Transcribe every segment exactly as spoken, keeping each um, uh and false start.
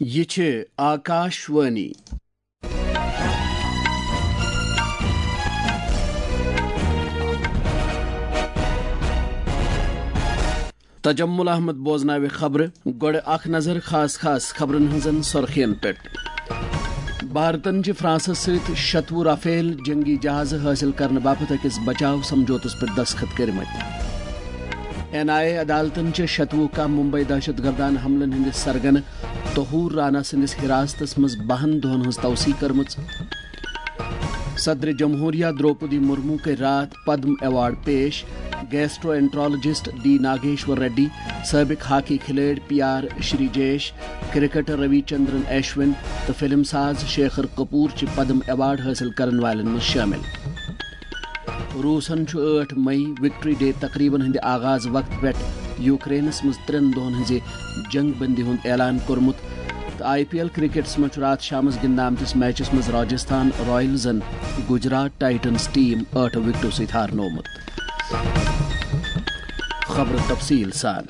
یہِ چھِ آکاش وانی۔ تجمل احمد بوزناوِ خبرٕ۔ گۄڈٕ اکھ نظر خاص خاص خبرن ہٕنزن سرخین پٮ۪ٹھ۔ بھارتن چھِ فرانسس سۭتۍ شتوُہ رافیل جنگی جہازٕ حٲصِل کرنہٕ باپتھ أکِس بچاو سمجھوتس پٮ۪ٹھ دستخط کٔرمٕتۍ۔ این آئی اے عدالتن چھِ شتوُہ کاہ ممبئی دہشت گردانہ حملن ہٕنٛدِ سرگنہٕ طہور رانا سٕنٛدِس حراستس منٛز بَہَن دۄہَن ہٕنٛز توسیع کٔرمٕژ۔ صدر جمہوریہ درٛوپدی مرمو کٔرۍ راتھ پدم ایوارڈ پیش۔ Gastroenterologist D Nageshwar Reddy, سٲبق ہاکی کھلٲڑۍ P R Sreejesh, cricketer Ravichandran اشون تہٕ فلم ساز شیکھر کپور چھِ پدم ایوارڈ حٲصِل کرن والٮ۪ن منٛز شٲمِل۔ روٗسن چھُ ٲٹھ مئی وکٹری ڈے تقریبن ہٕنٛدِ آغاز وقتہٕ پٮ۪ٹھ یوکرینس منٛز ترٛٮ۪ن دۄہن ہٕنٛزِ جنگ بندی ہُنٛد اعلان کوٚرمُت تہٕ آئی پی ایل کرکٹس منٛز چھُ راتھ شامس گِنٛدنہٕ آمتِس میچس منٛز راجستھان رائلزن گجرات ٹائٹنز ٹیم ٲٹھ وکٹو سۭتۍ ہارنوومُت۔ خبرٕ تفصیٖل سان۔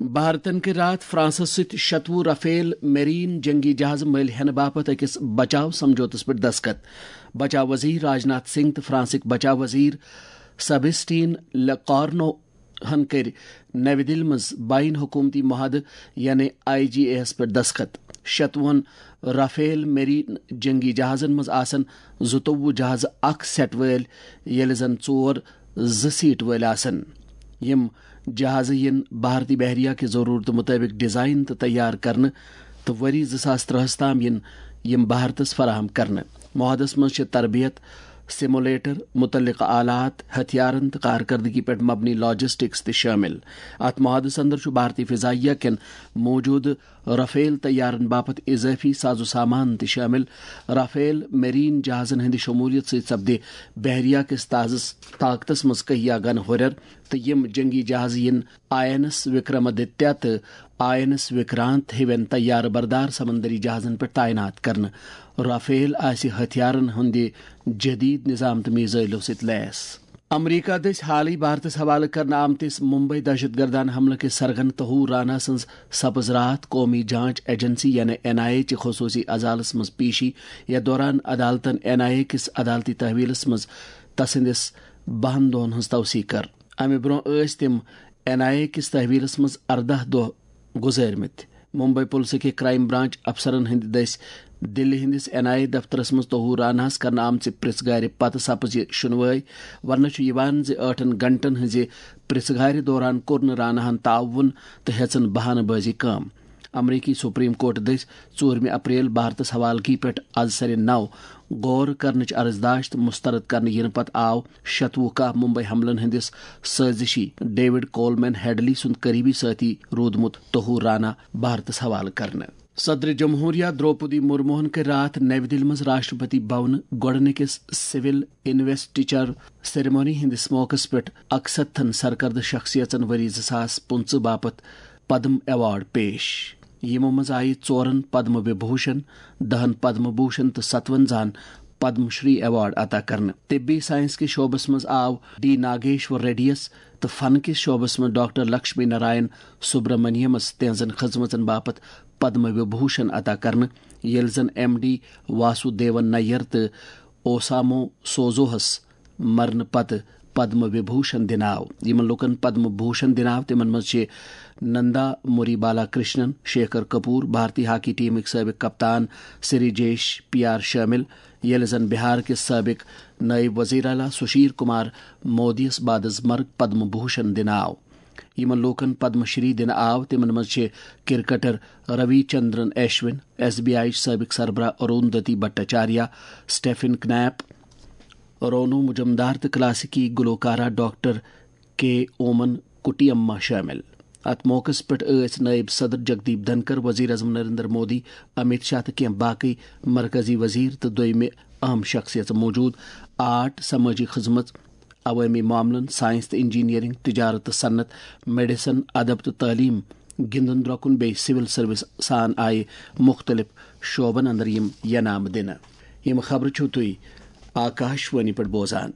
بھارتن کٔرۍ راتھ فرانسس سۭتۍ شتوُہ رافیل میرین جنگی جہازٕ مٔلۍ ہٮ۪نہٕ باپتھ أکِس بچاو سمجھوتس پٮ۪ٹھ دستخط۔ بچاو وزیر راجناتھ سنگھ تہٕ فرانسٕکۍ بچاو وزیر سبسٹین لکارنو ہن کٔرۍ نَوِ دِلہِ منٛز بین حکومتی معاہدٕ یعنی آئی جی اے ہَس پٮ۪ٹھ دستخط۔ شتوُہن رافیل میرین جنگی جہازن منٛز آسن زٕتووُہ جہازٕ اکھ سیٹ وٲلۍ، ییٚلہِ زن ژور زٕ سیٹ وٲلۍ آسن۔ یِم جہازٕ یِن بھارتی بحریہ کہِ ضروٗرتہٕ مُطٲبِق ڈیزائن تہٕ تیار کرنہٕ تہٕ ؤری زٕ ساس ترٛہَس تام یِن یِم بھارتس فراہم کرنہٕ۔ معاہدس منٛز چھِ تربیت، سیمولیٹر، متعلقہٕ آلات، ہتھیارن تہٕ کارکردگی پٮ۪ٹھ مبنی لاجسٹکس تہِ شٲمِل۔ اتھ معاہدس اندر چھُ بھارتی فضائیہ کٮ۪ن موجودٕ رافیل طیارن باپتھ اضٲفی ساز و سامان تہِ شٲمِل۔ رافیل میرین جہازن ہٕنٛدِ شمولیت سۭتۍ سپدِ بحریہ کِس تازٕ طاقتس منٛز کہیا گن ہُرٮ۪ر تہٕ یِم جنگی جہازٕ یِن آئی این ایس وکرمادتیہ تہٕ آئی این ایس وکرانت ہِوٮ۪ن طیارٕ بردار سمندری جہازن پٮ۪ٹھ تعینات کرنہٕ۔ رافیل آسہِ ہتھیارن ہٕنٛدِ جدید نظام تہٕ میزائلو سۭتۍ لیس۔ امریکہ دٔسۍ حالٕے بھارتس حوالہٕ کرنہٕ آمتِس ممبئی دہشت گردانہ حملہٕ کِس سرگن طہور رانا سٕنٛز سپٕز راتھ قومی جانچ ایجنسی یعنی این آئی اے چہِ خصوصی عدالتس منٛز پیشی۔ یتھ دوران عدالتن این آئی اے کِس عدالتی تحویلس منٛز تسٕنٛدِس بَہَن دۄہَن ہٕنٛز توثیق کٔر۔ امہِ برٛونٛہہ ٲسۍ تِم این آئی اے کِس تحویلس منٛز ارداہ دۄہ گُزٲرمٕتۍ۔ ممبئی پُلسہٕ کہِ کرائم برانچ افسرن ہٕنٛدِ دٔسۍ دِلہِ ہٕنٛدِس این آئی اے دفترس منٛز طہور راناہس کرنہٕ آمژِ پرژھٕ گارِ پتہٕ سپٕز یہِ شُنوٲے۔ وننہٕ چھُ یِوان زِ ٲٹھن گھنٹن ہٕنٛزِ پرژھٕ گارِ دوران کوٚر نہٕ راناہن تعاون تہٕ ہیژن بہانہٕ بٲزی کٲم۔ امریکی سپریم کورٹ دٔسۍ ژوٗرمہِ اپریل بھارتس حوالگی پٮ۪ٹھ از سرِ نو غور کرنٕچ عرضداشت مسترد کرنہٕ یِنہٕ پتہٕ آو شتوُہ کاہ ممبئی حملن ہٕنٛدِس سٲزشی ڈیوڈ کولمین ہیڈلی سُنٛد قریبی سٲتھی روٗدمُت طہور رانا بھارتس حوالہٕ کرنہٕ۔ صدر جمہوریہ درٛوپدی مرموہن کٔرۍ راتھ نَوِ دِلہِ منٛز راشٹرپتی بھونہٕ گۄڈٕنِکِس سول انویسٹیچر سیریمونی ہٕنٛدِس موقعس پٮ۪ٹھ اکستتھن سرکردٕ شخصیژن ؤری زٕ ساس پٕنٛژٕہ باپتھ پدم ایوارڈ پیش۔ یِمو منٛز آیہِ ژورن پدم وبھوشن، دہن پدم بھوشن تہٕ ستونزاہن پدم شری ایوارڈ عطا کرنہٕ۔ طبی سائنس کِس شعبس منٛز آو ڈی ناگیشور ریڈیَس تہٕ فن کِس شعبس منٛز ڈاکٹر لکشمی نارائن سبرامنیمس تہنٛزن خدمژن باپتھ پدم وبھوشن عطا کرنہٕ، ییٚلہِ زن ایم ڈی واسودیون نیر تہٕ اوسامو سوزوہس مرنہٕ پتہٕ پدم وبھوشن دِنہٕ آو۔ یِمن لوٗکن پدم بھوشن دِنہٕ آو، تِمن منٛز چھِ نندا موری بالا کرشنن، شیکھر کپور، بھارتی ہاکی ٹیمٕکۍ سٲبق کپتان سری جیش پی آر شٲمِل، ییٚلہِ زن بہار کِس سٲبق نٲیِب وزیر اعلیٰ سشیل کمار مودیَس بعد از مرگ پدم بھوشن دِنہٕ آو۔ یِمن لوٗکن پدم شری دِنہٕ آو، تِمن منٛز چھِ cricketer Ravichandran Ashwin, S B I سٲبق سربراہ اروندتی بھٹاچاریہ، سٹیفن کنیپ، رونو مجمدار تہٕ کلاسیکی گلوکارہ ڈاکٹر کے اومن کٹیما شٲمِل۔ اتھ موقعس پٮ۪ٹھ ٲسۍ نٲیِب صدر جگدیپ دھنکر، وزیر اعظم نریندر مودی، امیت شاہ تہٕ کینٛہہ باقٕے مرکزی وزیر تہٕ دوٚیمہِ اہم شخصیژٕ موجود۔ آرٹ، سمٲجی خدمت، عوٲمی معاملن، سائنس تہٕ انجینئرنگ، تجارت تہٕ صنعت، میڈیسن، ادب تہٕ تعلیم، گِنٛدُن درۄکُن بیٚیہِ سول سروس سان آیہِ مُختٔلِف شعبن اندر یِم ینامہٕ دِنہٕ۔ یِم خبرٕ چھِو تُہۍ آکاش وانی پٮ۪ٹھ بوزان۔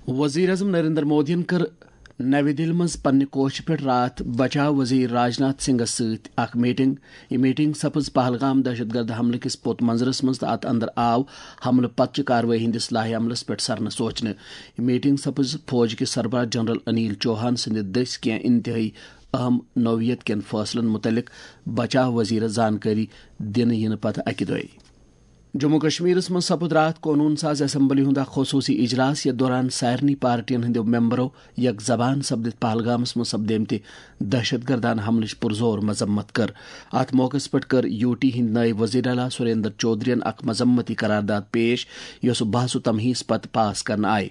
وزیر اعظم نریندر مودیَن کٔر نَوِ دِلہِ منٛز پننہِ کوٹھہِ پٮ۪ٹھ راتھ بچاو وزیر راجناتھ سنگھس سۭتۍ اکھ میٹنگ۔ یہِ میٹنگ سپٕز پہلگام دہشت گرد حملہٕ کِس پوٚت منظرس منٛز تہٕ اتھ اندر آو حملہٕ پتہٕ چہِ کاروٲیی ہٕنٛدِس لائحہ عملس پٮ۪ٹھ سرنہٕ سوچنہٕ۔ یہِ میٹنگ سپٕز فوج کِس سربراہ جنرل انیل چوہان سٕنٛدِ دٔسۍ کینٛہہ انتہٲئی اہم نوعیت کٮ۪ن فٲصلن مُتعلق بچاو وزیرس زانکٲری دِنہٕ یِنہٕ پتہٕ اکہِ دۄہہِ۔ جموں کشمیرس منٛز سپُد راتھ قونوٗن ساز اسمبلی ہُنٛد اکھ خصوٗصی اجلاس، یتھ دوران سارنٕے پارٹین ہٕنٛدیو ممبرو یک زبان سپدِتھ پہلگامس منٛز سپدیمتہِ دہشت گردانہٕ حملٕچ پُرزور مذمت کٔر۔ اتھ موقعس پٮ۪ٹھ کٔر یو ٹی ہٕنٛدۍ نٲیِب وزیر اعلیٰ سریندر چودھرین اکھ مذمتی قرارداد پیش، یۄسہٕ بحث و تمہیس پتہٕ پاس کرنہٕ آیہِ۔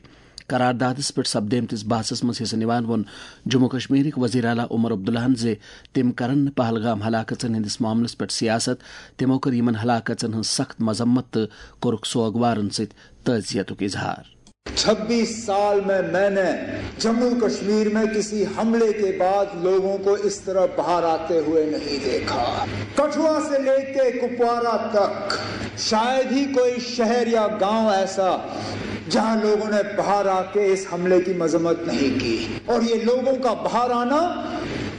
قراردادس پٮ۪ٹھ سپدیمتِس بحثس منٛز حصہٕ نِوان ووٚن جموں کشمیرٕکۍ وزیر اعلیٰ عمر عبداللہن زِ تِم کرن نہٕ پہلگام ہلاکژن ہٕنٛدِس معاملس پٮ۪ٹھ سیاست۔ تِمو کٔر یِمن ہلاکژن ہٕنٛز سخت مذمت تہٕ کوٚرُکھ سوگوارن سۭتۍ تعزیتُک اظہار۔ چھبیس سال میں میں نے جموں کشمیر میں کسی حملے کے بعد لوگوں کو اس طرح باہر آتے ہوئے نہیں دیکھا۔ کٹھوا سے لے کے کپوارہ تک شاید ہی کوئی شہر یا گاؤں ایسا جہاں لوگوں نے باہر آ کے اس حملے کی مذمت نہیں کی۔ اور یہ لوگوں کا باہر آنا،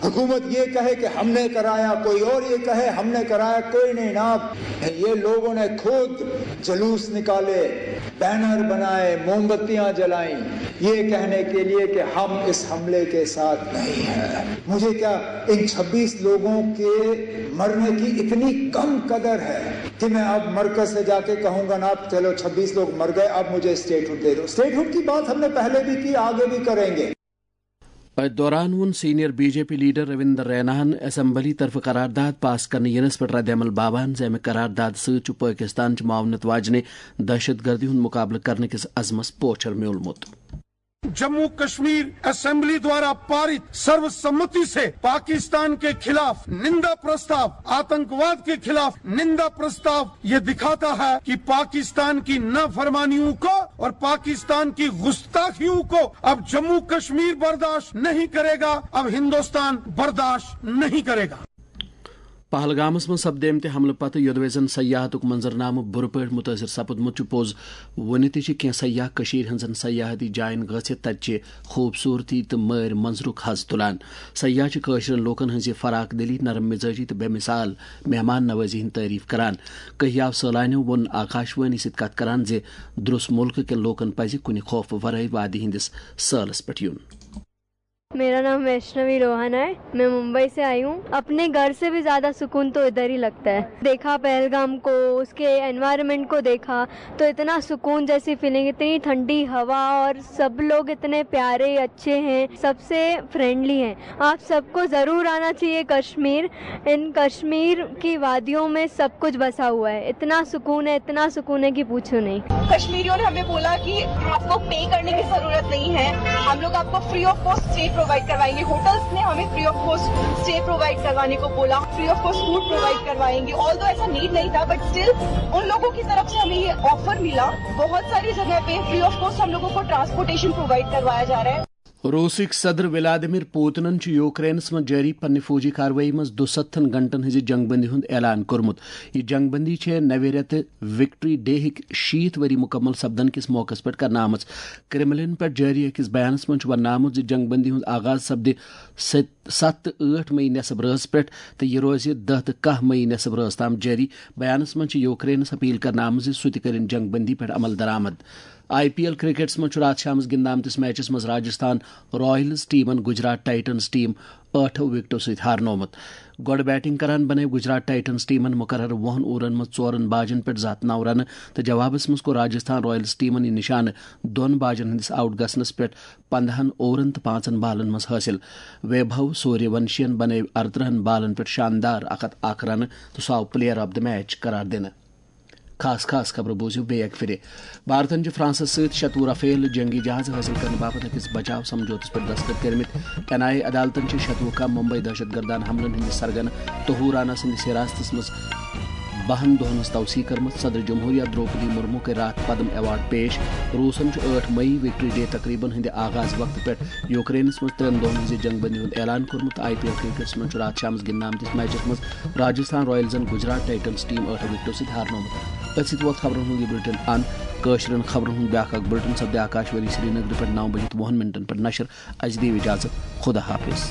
حکومت یہ کہے کہ ہم نے کرایا، کوئی اور یہ کہے ہم نے کرایا، کوئی نہیں نا، یہ لوگوں نے خود جلوس نکالے، بینر بنائے، موم بتیاں جلائیں، یہ کہنے کے لیے کہ ہم اس حملے کے ساتھ نہیں ہیں۔ مجھے کیا ان چھبیس لوگوں کے مرنے کی اتنی کم قدر ہے کہ میں اب مرکز سے جا کے کہوں گا نا، چلو چھبیس لوگ مر گئے، اب مجھے اسٹیٹ ہڈ دے دو۔ اسٹیٹ ہڈ کی بات ہم نے پہلے بھی کی، آگے بھی کریں گے۔ اتھ دوران ووٚن senior B J P leader Ravinder ریناہن اسمبلی طرفہٕ قرارداد پاس کرنہٕ ینس پٮ۪ٹھ رد عمل باوان زِ امہِ قرارداد سۭتۍ چھُ پٲکستان چہِ معاونت واجنہِ دہشت گردی ہُنٛد مقابلہٕ کرنہٕ کِس عزمس پوچھر میوٗلمُت۔ جموں کشمیر اسمبلی دوارا پارت سروسمتی سے پاکستان کے خلاف نندا پرستاو، آتنکواد کے خلاف نندا پرستاو یہ دکھاتا ہے کہ پاکستان کی نافرمانیوں کو اور پاکستان کی گستاخیوں کو اب جموں کشمیر برداشت نہیں کرے گا، اب ہندوستان برداشت نہیں کرے گا۔ پہلگامس منٛز سپدیمتہِ حملہٕ پتہٕ یوٚدوے زن سیاحتُک منظرنامہٕ بُرٕ پٲٹھۍ مُتٲثر سپُدمُت چھُ، پوٚز وُنہِ تہِ چھِ کینٛہہ سیاح کٔشیٖرِ ہٕنٛزن سیاحتی جاین گٔژھِتھ تتہِ چہِ خوٗبصوٗرتی تہٕ مٲرۍ منظرُک حظ تُلان۔ سیاح چھِ کٲشرٮ۪ن لوٗکن ہٕنٛزِ فراخ دلی، نرم مزاجی تہٕ بے مثال مہمان نوازی ہٕنٛدۍ تعریف کران۔ کینٛہہ سیاح سٲلانیو ووٚن آکاشوانی سۭتۍ کتھ کران زِ درٛس مُلکہٕ کٮ۪ن لوٗکن پزِ کُنہِ خوفہٕ ورٲے وادی ہٕنٛدِس سٲلس پٮ۪ٹھ یُن۔ मेरा नाम वैष्णवी रोहन है। मैं मुंबई से आई हूँ। अपने घर से भी ज़्यादा सुकून तो इधर ही लगता है। देखा पहलगाम को, उसके एनवायरनमेंट को देखा, तो इतना सुकून जैसी फीलिंग, इतनी ठंडी हवा और सब लोग इतने प्यारे, अच्छे हैं, सबसे फ्रेंडली हैं। आप सबको ज़रूर आना चाहिए कश्मीर। इन कश्मीर की वादियों में सब कुछ बसा हुआ है। इतना सुकून है, इतना सुकून है कि पूछो नहीं। कश्मीरियों ने हमें बोला कि आपको पे करने की जरूरत नहीं है, हम लोग आपको free of cost stay provide करवाएंगे। होटल्स ने हमें free of cost stay provide करवाने को बोला, free of cost food provide करवाएंगे। ऑल्दो ऐसा नीड नहीं था, बट स्टिल उन लोगों की तरफ से हमें ये ऑफर मिला। बहुत सारी जगह पे फ्री ऑफ कॉस्ट हम लोगों को ट्रांसपोर्टेशन प्रोवाइड करवाया जा रहा है। روسٕکۍ صدر ولادیمیر پوتنن چھُ یوکرینس منٛز جٲری پننہِ فوجی کاروٲیی منٛز دُسَتتھن گھنٹن ہٕنٛزِ جنگ بندی ہُنٛد اعلان کوٚرمُت۔ یہِ جنگ بندی چھےٚ نوِ رٮ۪تہٕ وکٹری ڈے ہٕکۍ شیٖتھ ؤری مُکمل سپدن کِس موقعس پٮ۪ٹھ کرنہٕ آمٕژ۔ کرملن پٮ۪ٹھ جٲری أکِس بیانس منٛز چھُ وننہٕ آمُت زِ جنگ بندی ہُنٛد آغاز سپدِ ست، ستھ تہٕ ٲٹھ مئی نصف رٲژ پٮ۪ٹھ تہٕ یہِ روزِ دَہ تہٕ کاہ مئی نصف رٲژ تام جٲری۔ بیانس منٛز چھِ یوکرینس اپیل کرنہٕ آمٕژ زِ سُہ تہِ کٔرِن جنگ بندی پٮ۪ٹھ عمل درآمد۔ آئی پی ایل کرکٹس منٛز چھُ راتھ شامس گِنٛدنہٕ آمتِس میچس منٛز راجستھان رائلز ٹیمن گجرات ٹائٹنز ٹیم ٲٹھو وکٹو سۭتۍ ہارنوومُت۔ گۄڈٕ بیٹنگ کران بنٲوۍ گجرات ٹائٹنز ٹیمن مقرر وُہن اوورن منٛز ژورن باجن پٮ۪ٹھ زٕ ہتھ نو رنہٕ تہٕ جوابس منٛز کوٚر راجستھان رائلز ٹیمن یہِ نشانہٕ دۄن باجن ہٕنٛدِس آؤٹ گژھنس پٮ۪ٹھ پندہن اوورن تہٕ پانٛژن بالن منٛز حٲصِل۔ ویبھو سوریہ ونشین بنٲوۍ ارترٕہن بالن پٮ۪ٹھ شاندار اکھ ہتھ اکھ رنہٕ تہٕ سُہ آو پلیئر آف دی میچ قرار دِنہٕ۔ خاص خاص خبرٕ بوٗزِو بیٚیہِ اَکہِ پھِرِ۔ بھارتن چھِ فرانسس سۭتۍ شتوُہ رافیل جنگی جہاز حٲصِل کرنہٕ باپتھ أکِس بچاو سمجھوتس پٮ۪ٹھ دستخط کٔرمٕتۍ۔ این آئی اے عدالتن چھِ شتوُہ کاہ ممبئی دہشت گردانہٕ حملن ہٕنٛدِ سرگنہٕ طہور رانا سٕنٛدِس حراستس منٛز بَہَن دۄہَن ہٕنٛز توسیع کٔرمٕژ۔ صدر جمہوریہ درٛوپدی مُرموٗ کٔرۍ راتھ پدم ایوارڈ پیش۔ روٗسَن چھُ ٲٹھ مئی وِکٹری ڈے تقریٖبَن ہٕنٛدِ آغاز وقتہٕ پٮ۪ٹھ یوکرینَس منٛز ترٛٮ۪ن دۄہَن ہٕنٛزِ جنٛگ بندی ہُنٛد اعلان کوٚرمُت۔ آئی پی ایل کرکٹَس منٛز چھُ راتھ شامَس گِنٛدنہٕ آمتِس میچَس منٛز راجستھان رائلزَن گجرات ٹائٹنز ٹیم ٲٹھ وِکٹو سۭتۍ ہارنومُت۔ أتھۍ سۭتۍ ووت خبرن ہُنٛد یہِ بُلٹن اند۔ کٲشرٮ۪ن خبرن ہُنٛد بیٛاکھ اکھ بُلٹن سپدِ آکاش وانی سرینگرٕ پٮ۪ٹھ نو بجے تہٕ وُہن منٹن پٮ۪ٹھ نشر۔ اسہِ دِیِو اجازت، خدا حافظ۔